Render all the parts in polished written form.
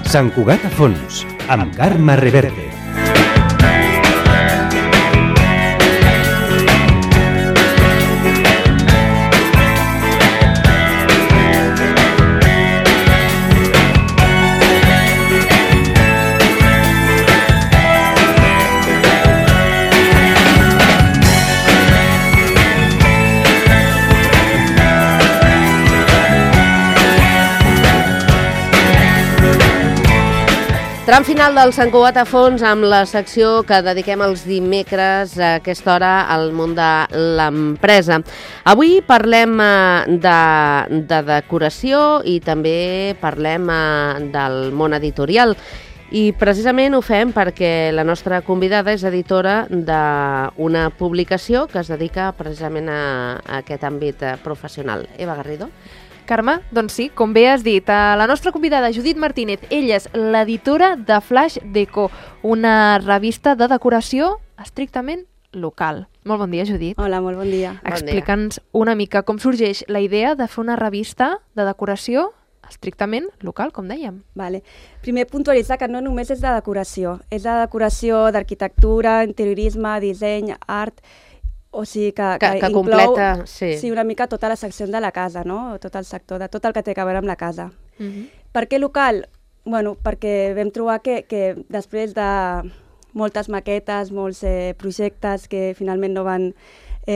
Sant Cugat a fons, amb Carme Reverte. Tram final del Sant Cugat a fons amb la secció que dediquem els dimecres a aquesta hora al món de l'empresa. Avui parlem de decoració i també parlem del món editorial. I precisament ho fem perquè la nostra convidada és editora d'una publicació que es dedica precisament a aquest àmbit professional. Eva Garrido. Carme, doncs sí, com bé has dit, la nostra convidada Judit Martínez, ella és l'editora de Flash Deco, una revista de decoració estrictament local. Molt bon dia, Judit. Hola, molt bon dia. Explica'ns una mica com sorgeix la idea de fer una revista de decoració estrictament local, com dèiem. Vale. Primer, puntualitzar que no només és de decoració, és de decoració d'arquitectura, interiorisme, disseny, art. O sigui que inclou completa, sí, una mica tota la secció de la casa, no? Tot el sector, de tot el que té a veure amb la casa. Per què local? Bueno, perquè vam trobar que després de moltes maquetes, molts projectes que finalment no van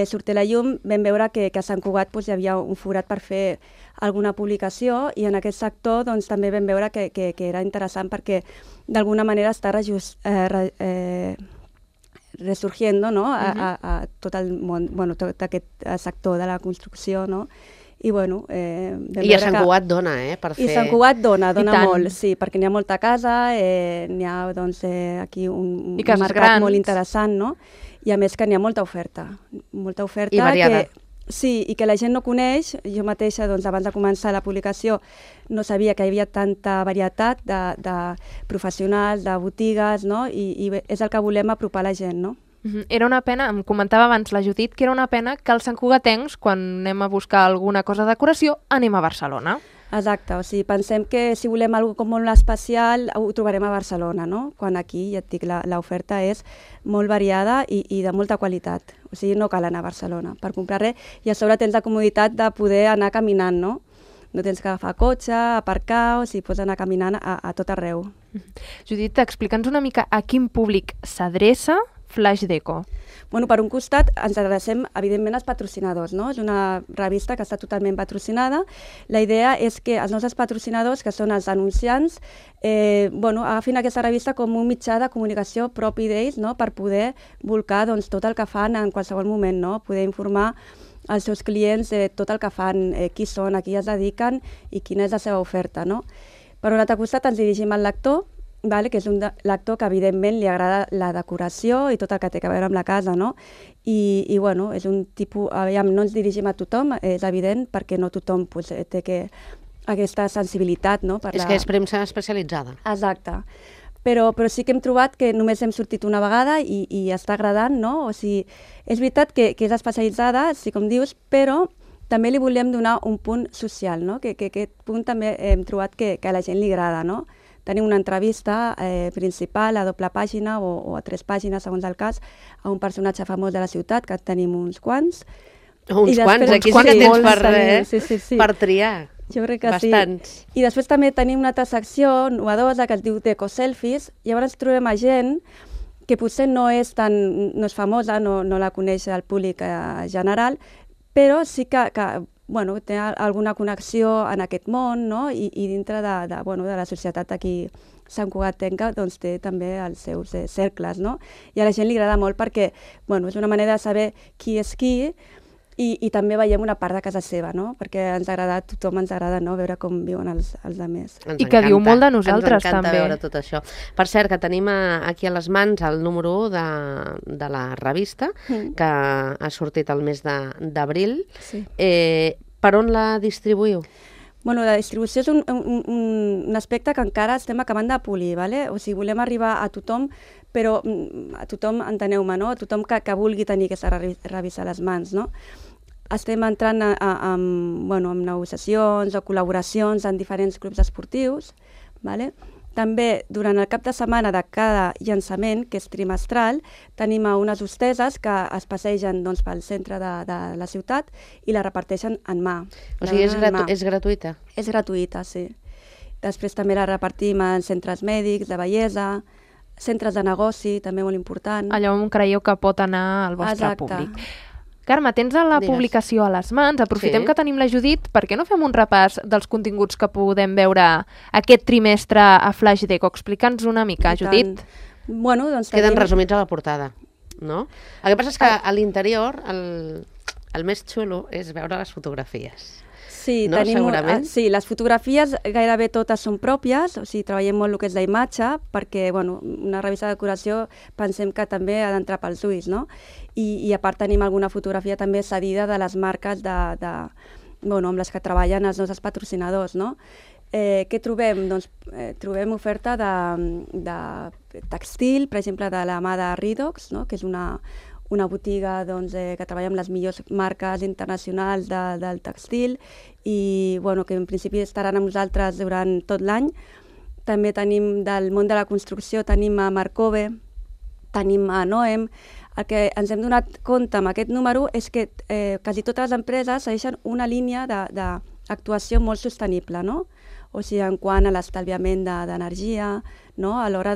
sortir a la llum, vam veure que a Sant Cugat hi havia un forat per fer alguna publicació i en aquest sector també vam veure que era interessant perquè d'alguna manera està resurgiendo, no? A tot el món, bueno, tot aquest sector de la construcció, no? I bueno, i a Sant Cugat dona, per fer... I Sant Cugat dona molt, sí, perquè n'hi ha molta casa, n'hi ha aquí un mercat grans. Molt interessant, no? I a més que n'hi ha molta oferta. I variada. Sí, i que la gent no coneix. Jo mateixa, abans de començar la publicació, no sabia que hi havia tanta varietat de professionals, de botigues, no? I és el que volem apropar a la gent, no? Era una pena, em comentava abans la Judit, que era una pena que els santcugatencs, quan anem a buscar alguna cosa de decoració, anem a Barcelona. Exacte, o sigui, pensem que si volem alguna cosa molt especial ho trobarem a Barcelona, no? Quan aquí, ja et dic, l'oferta és molt variada i de molta qualitat. O sigui, no cal anar a Barcelona per comprar res i a sobre tens la comoditat de poder anar caminant, no? No tens que agafar cotxe, aparcar, o sigui, pots anar caminant a tot arreu. Judit, explica'ns una mica a quin públic s'adreça Flash Deco. Bueno, per un costat ens adrecem evidentment als patrocinadors, no? És una revista que està totalment patrocinada. La idea és que els nostres patrocinadors, que són els anunciants, agafin aquesta revista com un mitjà de comunicació propi d'ells, no? Per poder volcar tot el que fan en qualsevol moment, no? Poder informar als seus clients de tot el que fan, qui són, a qui es dediquen i quina és la seva oferta, no? Per un altre costat ens dirigim al lector, que és un lector que evidentment li agrada la decoració i tot el que té a veure amb la casa, no? I bueno, és un tipus, no ens dirigim a tothom, és evident, perquè no tothom té aquesta sensibilitat, no? És que és premsa especialitzada. Exacte. Però sí que hem trobat que només hem sortit una vegada i està agradant, no? O sigui, és veritat que és especialitzada, sí, com dius, però també li volem donar un punt social, no? Que aquest punt també hem trobat que a la gent li agrada, no? Tenim una entrevista principal a doble pàgina o a 3 pàgines, segons el cas, a un personatge famós de la ciutat, que tenim uns quants. Uns quants? Aquí sí que tens per triar. Jo crec que bastants. Sí. I després també tenim una altra secció novedosa que es diu Deco Selfies. Llavors trobem a gent que potser no és famosa, no la coneix el públic general, però sí que té alguna connexió en aquest món, no? I dintre de la societat aquí Sant Cugatenca té també els seus cercles, no? I a la gent li agrada molt perquè és una manera de saber qui és qui i també veiem una part de casa seva, no? Perquè a tothom ens agrada, no? Veure com viuen els altres. I que diu molt de nosaltres, també. Ens encanta veure tot això. Per cert, que tenim aquí a les mans el número 1 de la revista, que ha sortit el mes d'abril. Sí. Per on la distribuïu? Bueno, la distribució és un aspecte que encara estem acabant de polir, ¿vale? O sigui, volem arribar a tothom, però a tothom, enteneu-me, no? A tothom que vulgui tenir aquesta revista a les mans, no? Estem entrant amb negociacions o col·laboracions en diferents clubs esportius, ¿vale? També, durant el cap de setmana de cada llançament, que és trimestral, tenim unes hosteses que es passegen doncs, pel centre de la ciutat i la reparteixen en mà. O sigui, és gratuïta? És gratuïta, sí. Després també la repartim en centres mèdics, de bellesa, centres de negoci, també molt important. Allò on creieu que pot anar el vostre públic. Carme, tens la publicació a les mans, aprofitem que tenim la Judit, per què no fem un repàs dels continguts que podem veure aquest trimestre a Flash Deco? Explica'ns una mica, Judit. Bueno, doncs queden resumits a la portada, no? El que passa és que a l'interior el més xulo és veure les fotografies. Sí, no? Segurament. Sí, les fotografies gairebé totes són pròpies, o sigui, treballem molt el que és la imatge, perquè bueno, una revista de decoració pensem que també ha d'entrar pels ulls, no? I a part tenim alguna fotografia també cedida de les marques amb les que treballen els nostres patrocinadors, no? Què trobem? Doncs trobem oferta de textil, per exemple, de la mà de Redox, no? Que és una botiga que treballa amb les millors marques internacionals del textil i que en principi estaran amb nosaltres durant tot l'any. També tenim del món de la construcció, tenim a Marcove, tenim a Noem. El que ens hem donat compte amb aquest número és que quasi totes les empreses segueixen una línia d'actuació molt sostenible, no? O sigui, en quant a l'estalviament d'energia, no? A l'hora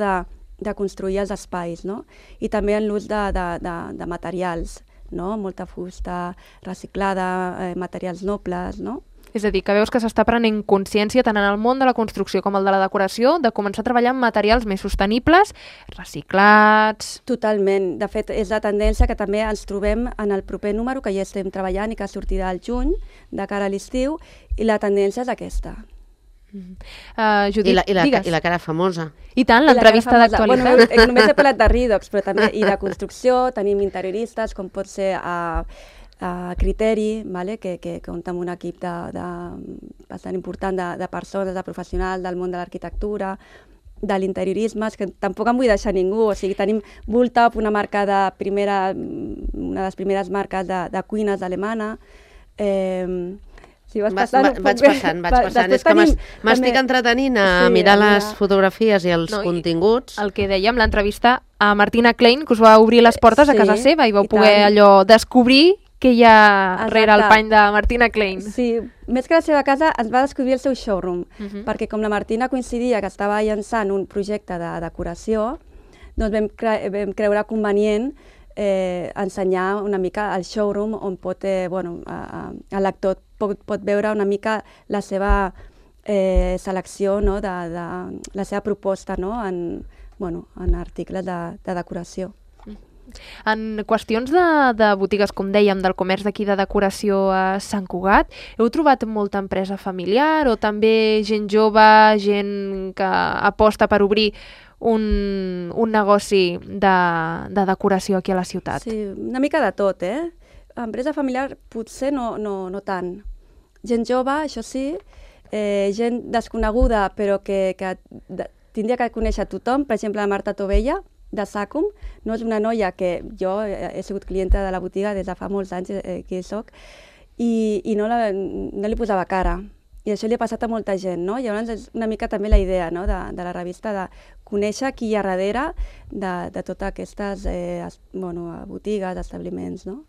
de construir els espais, no? I també en l'ús de materials, no? Molta fusta reciclada, materials nobles, no? És a dir, que veus que s'està prenent consciència tant en el món de la construcció com el de la decoració de començar a treballar amb materials més sostenibles, reciclats... Totalment. De fet, és la tendència que també ens trobem en el proper número que ja estem treballant i que sortirà al juny, de cara a l'estiu, i la tendència és aquesta. Judit, I la cara famosa. I tant, l'entrevista d'actualitat. Bueno, només he parlat de Redox, però també i de construcció, tenim interioristes, com pot ser a Criteri, que compta amb un equip bastant important de persones, de professionals del món de l'arquitectura, de l'interiorisme, que tampoc em vull deixar ningú. O sigui, tenim Bultop, una de les primeres marques de cuines alemana. Vaig passant. És que m'estic entretenint a mirar les fotografies i els continguts. El que dèiem, l'entrevista a Martina Klein, que us va obrir les portes a casa seva i vau poder allò descobrir què hi ha rere el pany de Martina Klein. Sí, més que la seva casa ens va descobrir el seu showroom, perquè com la Martina coincidia que estava llançant un projecte de decoració, doncs vam creure convenient ensenyar una mica el showroom on el lector pot veure una mica la seva selecció, no? La seva proposta, no? en articles de decoració. En qüestions de botigues, com dèiem, del comerç d'aquí de decoració a Sant Cugat, heu trobat molta empresa familiar o també gent jove, gent que aposta per obrir un negoci de decoració aquí a la ciutat? Sí, una mica de tot, Empresa familiar potser no tant. Gent jove, això sí, gent desconeguda però que tindria que conèixer tothom, per exemple la Marta Tovella, de Sacum, no és una noia que jo he sigut clienta de la botiga des de fa molts anys que hi soc i no li posava cara. I això li ha passat a molta gent, no? Llavors és una mica també la idea, no? de la revista, de conèixer qui hi ha darrere de totes aquestes botigues, establiments, no?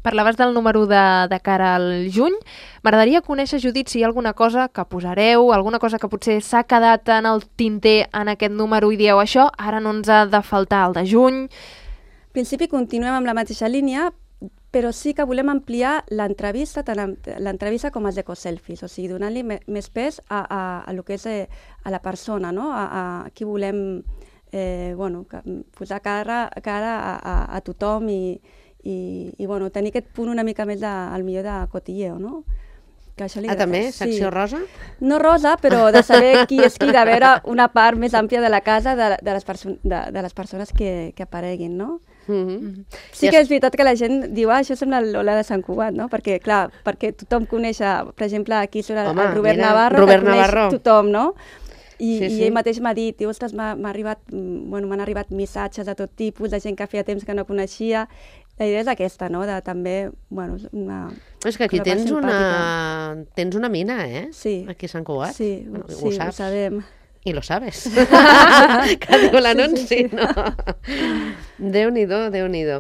Parlaves del número de cara al juny. M'agradaria conèixer, Judit, si hi ha alguna cosa que posareu, alguna cosa que potser s'ha quedat en el tinter en aquest número i dieu això, ara no ens ha de faltar el de juny. En principi continuem amb la mateixa línia, però sí que volem ampliar l'entrevista, tant l'entrevista com els ecoselfies, o sigui, donant-li més pes a lo que és a la persona, no? A qui volem posar cara a tothom i tenir aquest punt una mica més al millor de cotilleo, no? També? Secció rosa? No rosa, però de saber qui és qui, de veure una part més àmplia de la casa de les persones que apareguin, no? Sí que és veritat que la gent diu això sembla l'Ola de Sant Cugat, no? Perquè, clar, perquè tothom coneix, per exemple, aquí surt el Robert Navarro, que coneix tothom, no? I ell mateix m'ha dit, ostres, m'han arribat missatges de tot tipus, de gent que feia temps que no coneixia. La idea és aquesta, no? De també, és que aquí tens una mina, Sí. aquí a Sant Cugat. Sí, ho sabem. I lo sabes. Que diu l'anunci, no? Déu-n'hi-do, Déu-n'hi-do.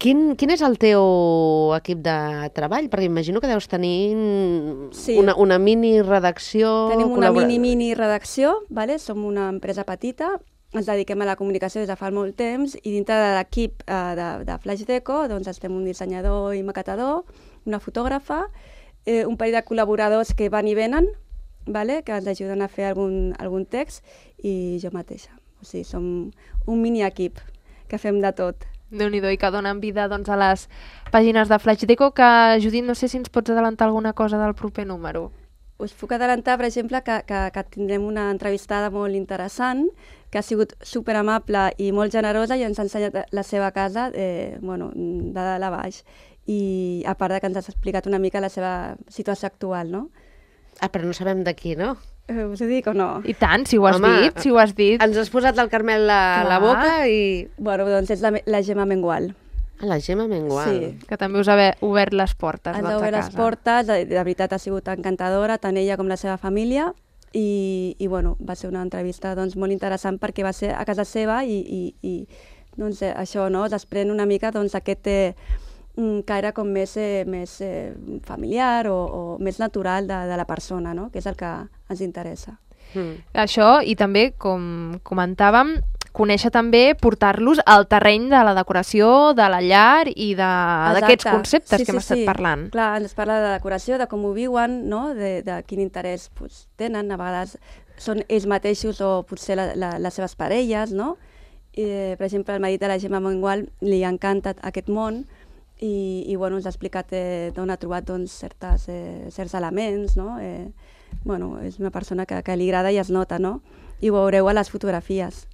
Quin és el teu equip de treball? Perquè imagino que deus tenir una mini redacció... Tenim una mini redacció, vale? Som una empresa petita, ens dediquem a la comunicació des de fa molt temps i dintre de l'equip de Flash Deco doncs estem un dissenyador i maquetador, una fotògrafa, un parell de col·laboradors que van i venen, vale? Que ens ajuden a fer algun text i jo mateixa. O sigui, som un mini equip que fem de tot. Déu-n'hi-do, i que donen vida doncs, a les pàgines de Flash Deco, que, Judit, no sé si ens pots adelantar alguna cosa del proper número. Us puc adelantar, per exemple, que tindrem una entrevistada molt interessant, que ha sigut superamable i molt generosa i ens ha ensenyat la seva casa de dalt a baix. I a part que ens ha explicat una mica la seva situació actual, no? Ah, però no sabem de qui, no? Us ho dic o no? I tant, si ho has dit, si ho has dit. Ens has posat el Carmel a la boca i... Bueno, doncs és la Gemma Mengual. Ah, la Gemma Mengual. Sí. Que també us ha obert les portes Ens doncs, ha a obert casa. les portes, de veritat ha sigut encantadora, tant ella com la seva família, i bueno, va ser una entrevista doncs, molt interessant perquè va ser a casa seva i doncs, això no, desprèn una mica doncs, aquest caire com més familiar o més natural de la persona, no? Que és el que ens interessa. Això, i també, com comentàvem, conèixer també, portar-los al terreny de la decoració, de la llar i d'aquests conceptes que hem estat parlant. Clar, ens parla de decoració, de com ho viuen, no? de quin interès tenen, a vegades són ells mateixos o potser les seves parelles, no? Per exemple, el marit de la Gemma Mengual li encanta aquest món i bueno, ens ha explicat d'on ha trobat doncs, certs elements, no? És una persona que li agrada i es nota, no? I ho veureu a les fotografies.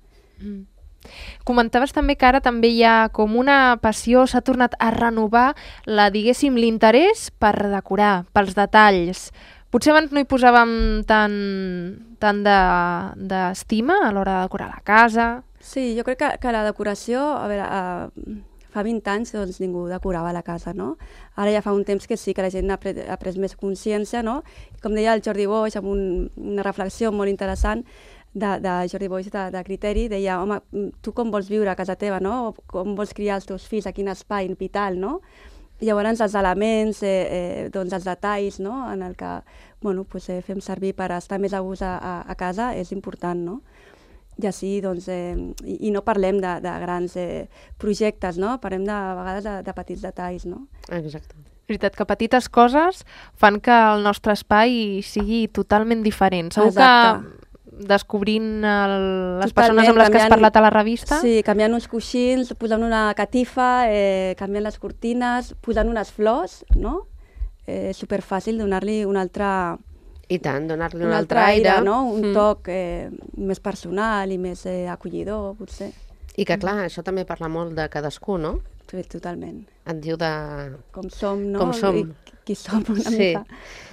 Comentaves també que ara també hi ha com una passió, s'ha tornat a renovar diguéssim, l'interès per decorar, pels detalls. Potser abans no hi posàvem tant d'estima a l'hora de decorar la casa. Sí, jo crec que la decoració, a veure, fa 20 anys doncs, ningú decorava la casa, no? Ara ja fa un temps que sí que la gent ha pres més consciència, no? Com deia el Jordi Boix, amb una reflexió molt interessant de Jordi Boix de Criteri, deia, home, tu com vols viure a casa teva, no? Com vols criar els teus fills, a quin espai vital, no? I llavors els elements, doncs els detalls, no? En el que fem servir per estar més a gust a casa és important, no? I així, doncs, i no parlem de grans projectes, no? Parlem a vegades de petits detalls, no? Exacte. És veritat que petites coses fan que el nostre espai sigui totalment diferent. Segur que descobrint les persones amb les que has parlat a la revista... Sí, canviant uns coixins, posant una catifa, canviant les cortines, posant unes flors, no? És superfàcil donar-li un altre... I tant, donar-li un altre aire, no? Un toc més personal i més acollidor, potser. I que, clar, això també parla molt de cadascú, no? Sí, totalment. Et diu de... Com som, no? Com som. Qui som una mica.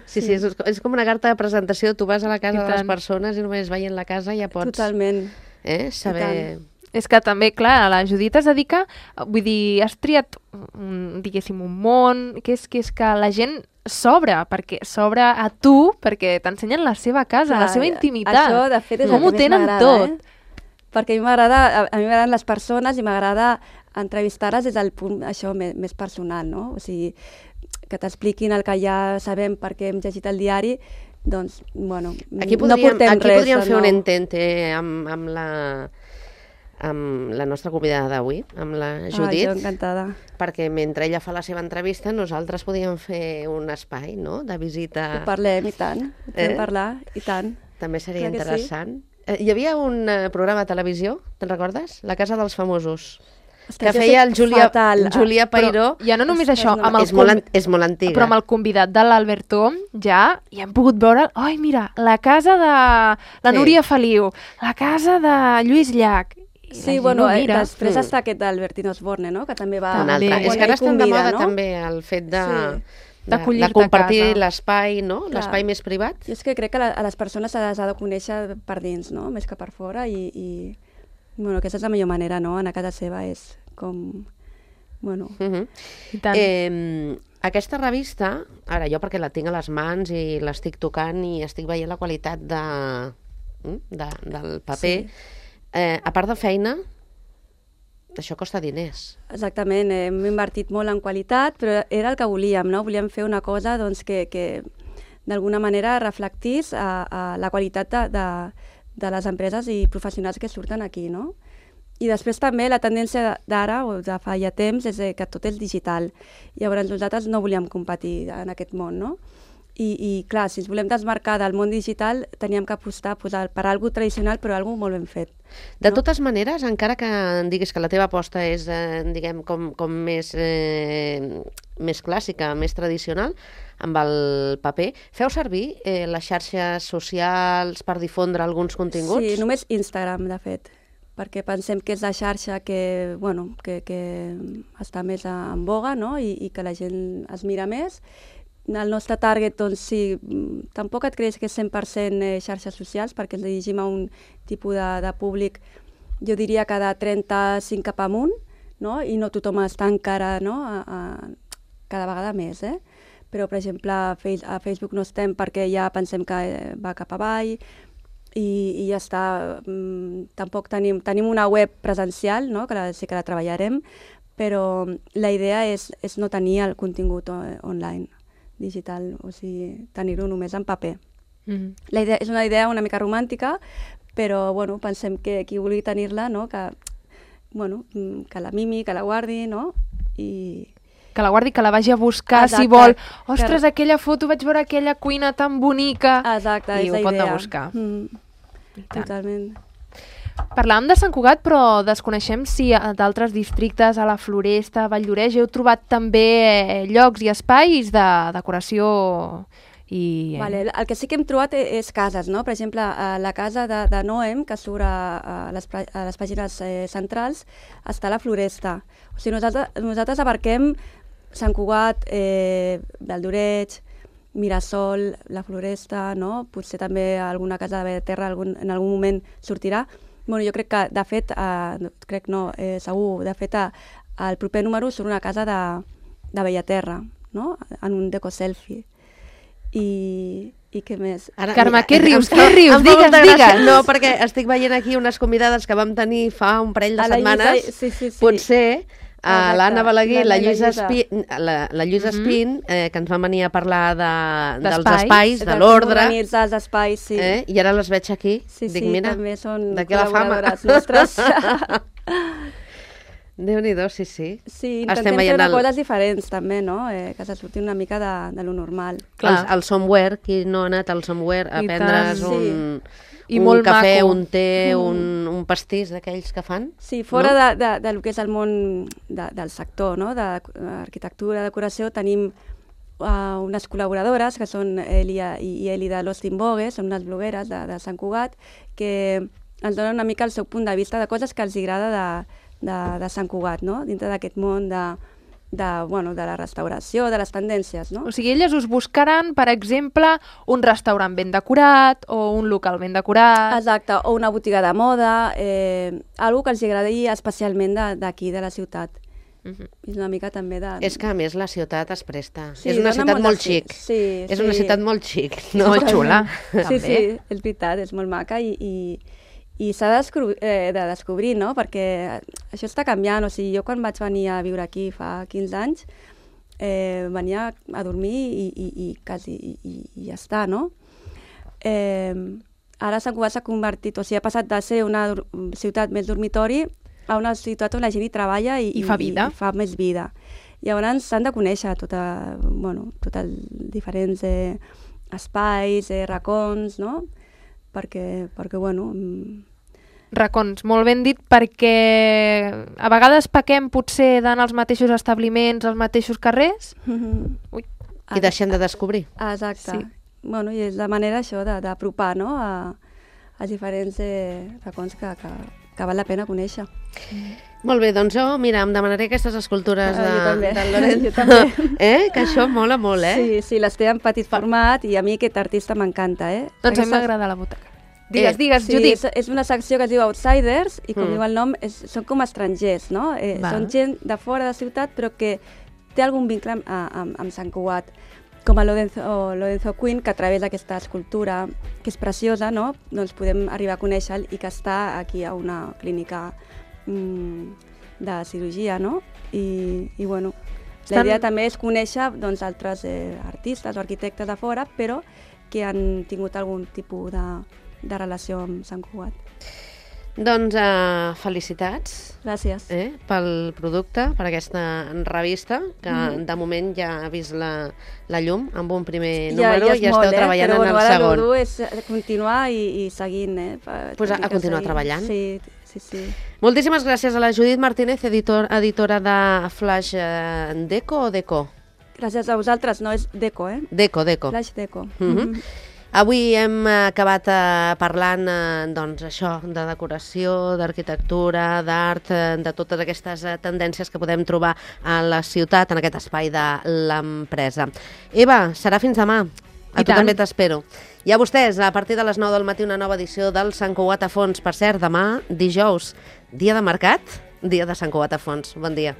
Sí, és com una carta de presentació. Tu vas a la casa de les persones i només veient la casa ja pots... Totalment. Saber... És que també, clar, la Judit es dedica... Vull dir, has triat, diguéssim, un món, que és que la gent s'obre a tu perquè t'ensenyen la seva casa, la seva intimitat. Això, de fet, és com ho tenen tot. Perquè a mi m'agraden les persones i m'agrada entrevistar-les des del punt això més personal, no? O sigui, que t'expliquin el que ja sabem perquè hem llegit el diari, doncs, bueno, aquí no portem res. Aquí podríem fer un intente amb la nostra convidada d'avui, amb la Judit. Jo encantada. Perquè mentre ella fa la seva entrevista, nosaltres podíem fer un espai, no?, de visita. Ho parlem, i tant. Ho podem parlar, i tant. També seria interessant. Sí. Hi havia un programa de televisió, te'n recordes? La Casa dels Famosos. Que feia el Julià Peiró. Ja no només això, és molt antiga. Però amb el convidat de l'Alberto ja hem pogut veure, mira, la casa de la Núria Feliu, la casa de Lluís Llach. Sí, bueno, després està aquest d'Albertino Osborne, no?, que també va... És que ara estan de moda també el fet de compartir l'espai, no?, l'espai més privat. Jo és que crec que a les persones se les ha de conèixer per dins, no?, més que per fora, i bueno, aquesta és la millor manera, no?, anar a casa seva és com... Bueno... I tant. Aquesta revista, ara jo perquè la tinc a les mans i l'estic tocant i estic veient la qualitat del paper. A part de feina, això costa diners. Exactament, hem invertit molt en qualitat, però era el que volíem, no? Volíem fer una cosa doncs, que d'alguna manera reflectís a la qualitat de les empreses i professionals que surten aquí, no? I després també la tendència d'ara, o de fa ja temps, és que tot és digital. Llavors nosaltres no volíem competir en aquest món, no? I clar, si ens volem desmarcar del món digital, teníem que apostar per alguna tradicional, però alguna molt ben fet. De totes maneres, encara que diguis que la teva aposta és, diguem, com més clàssica, més tradicional, amb el paper, feu servir les xarxes socials per difondre alguns continguts? Sí, només Instagram, de fet, perquè pensem que és la xarxa que està més en boga, no? I que la gent es mira més. El nostre target, doncs sí, tampoc et creus que és 100% xarxes socials, perquè ens dirigim a un tipus de públic, jo diria que de 35 cap amunt, no? I no tothom està encara, no? Cada vegada més, Però, per exemple, a Facebook no estem perquè ja pensem que va cap avall i ja està. Tampoc tenim una web presencial, no? Que sí que la treballarem, però la idea és no tenir el contingut online, digital, o sigui, tenir-ho només en paper. La idea és una idea una mica romàntica, però bueno, pensem que qui vulgui tenir-la, no? Que la mimi, que la guardi, no? Que la guardi, que la vagi a buscar. Exacte. Si vol. Ostres, aquella foto, vaig veure aquella cuina tan bonica. Exacte, i ho pot anar a buscar. Totalment. Parlàvem de Sant Cugat, però desconeixem si d'altres districtes, a la Floresta, a Valldoreix, heu trobat també llocs i espais de decoració i... Vale, el que sí que hem trobat és cases, no? Per exemple, la casa de Noem, que surt a les pàgines centrals, està a la Floresta. O sigui, nosaltres abarquem Sant Cugat, Valldoreix, Mirasol, la Floresta, no? Potser també alguna casa de Bellaterra en algun moment sortirà. Bueno, jo crec que, de fet, segur, de fet, al proper número surt una casa de Bellaterra, no? En un deco-selfie. I què més? Carme, què rius? Digues. No, perquè estic veient aquí unes convidades que vam tenir fa un parell de setmanes. Sí. Potser l'Anna Balaguer, la Lluïsa Espín, que ens van venir a parlar dels espais, de l'ordre. D'organitzar els espais, sí. I ara les veig aquí. Dic, mira, també són col·laboradores nostres. Déu-n'hi-do, sí. Sí, intentem fer coses diferents també, no? Que se surti una mica de lo normal. El somewhere, qui no ha anat al somewhere a prendre's un cafè, un té, un pastís d'aquells que fan? Sí, fora del que és el món del sector, no? D'arquitectura, decoració, tenim unes col·laboradores que són Elia i Eli de Lost in Vogue, són unes blogueres de Sant Cugat, que ens donen una mica el seu punt de vista de coses que els agrada de Sant Cugat, no? Dintre d'aquest món de la restauració, de les tendències, no? O sigui, elles us buscaran, per exemple, un restaurant ben decorat o un local ben decorat. Exacte, o una botiga de moda, algo que els agradi especialment d'aquí, de la ciutat. És una mica també de... És que, a més, la ciutat es presta. És una ciutat molt xic. És una ciutat molt xic. Molt xula. Sí, és veritat, és molt maca i s'ha de descobrir, no? Perquè això està canviant. O sigui, jo quan vaig venir a viure aquí fa 15 anys, venia a dormir i ja està, no? Ara Sant Cugat s'ha convertit, o sigui, ha passat de ser una ciutat més dormitori a una ciutat on la gent hi treballa i fa vida. I fa més vida. Llavors s'han de conèixer tots els diferents espais, racons, no? Perquè racons, molt ben dit, perquè a vegades pequem potser d'anar als mateixos establiments, als mateixos carrers. I deixem de descobrir. Exacte. Sí. Bueno, i és la manera això d'apropar, no? a diferents racons que val la pena conèixer. Molt bé, doncs jo, mira, em demanaré aquestes escultures del Lorenzo. Jo també. Que això mola molt, Sí, les té en petit format i a mi aquest artista m'encanta, Doncs a mi m'agrada la butaca. Digues, Judit. És una secció que es diu Outsiders i, com diu el nom, són com estrangers, no? Són gent de fora de la ciutat però que té algun vincle amb Sant Cugat. com a Lorenzo Quinn, que a través d'aquesta escultura, que és preciosa, no? Doncs podem arribar a conèixer-lo i que està aquí a una clínica de cirurgia, no? I bueno, la idea també és conèixer doncs, altres artistes o arquitectes de fora, però que han tingut algun tipus de relació amb Sant Cugat. Doncs felicitats. Gràcies. Pel producte, per aquesta revista, que de moment ja ha vist la llum amb un primer número i esteu treballant en el segon. Però el dur és continuar i seguint. Pues a continuar treballant. Sí. Moltíssimes gràcies a la Judit Martínez, editora de Flash Deco o Deco? Gràcies a vosaltres, no és Deco, Deco. Flash Deco. Avui hem acabat parlant doncs, això, de decoració, d'arquitectura, d'art, de totes aquestes tendències que podem trobar a la ciutat, en aquest espai de l'empresa. Eva, serà fins demà. A tu també t'espero. I a vostès, a partir de les 9 del matí, una nova edició del Sant Cugat a Fons. Per cert, demà, dijous, dia de mercat, dia de Sant Cugat a Fons. Bon dia.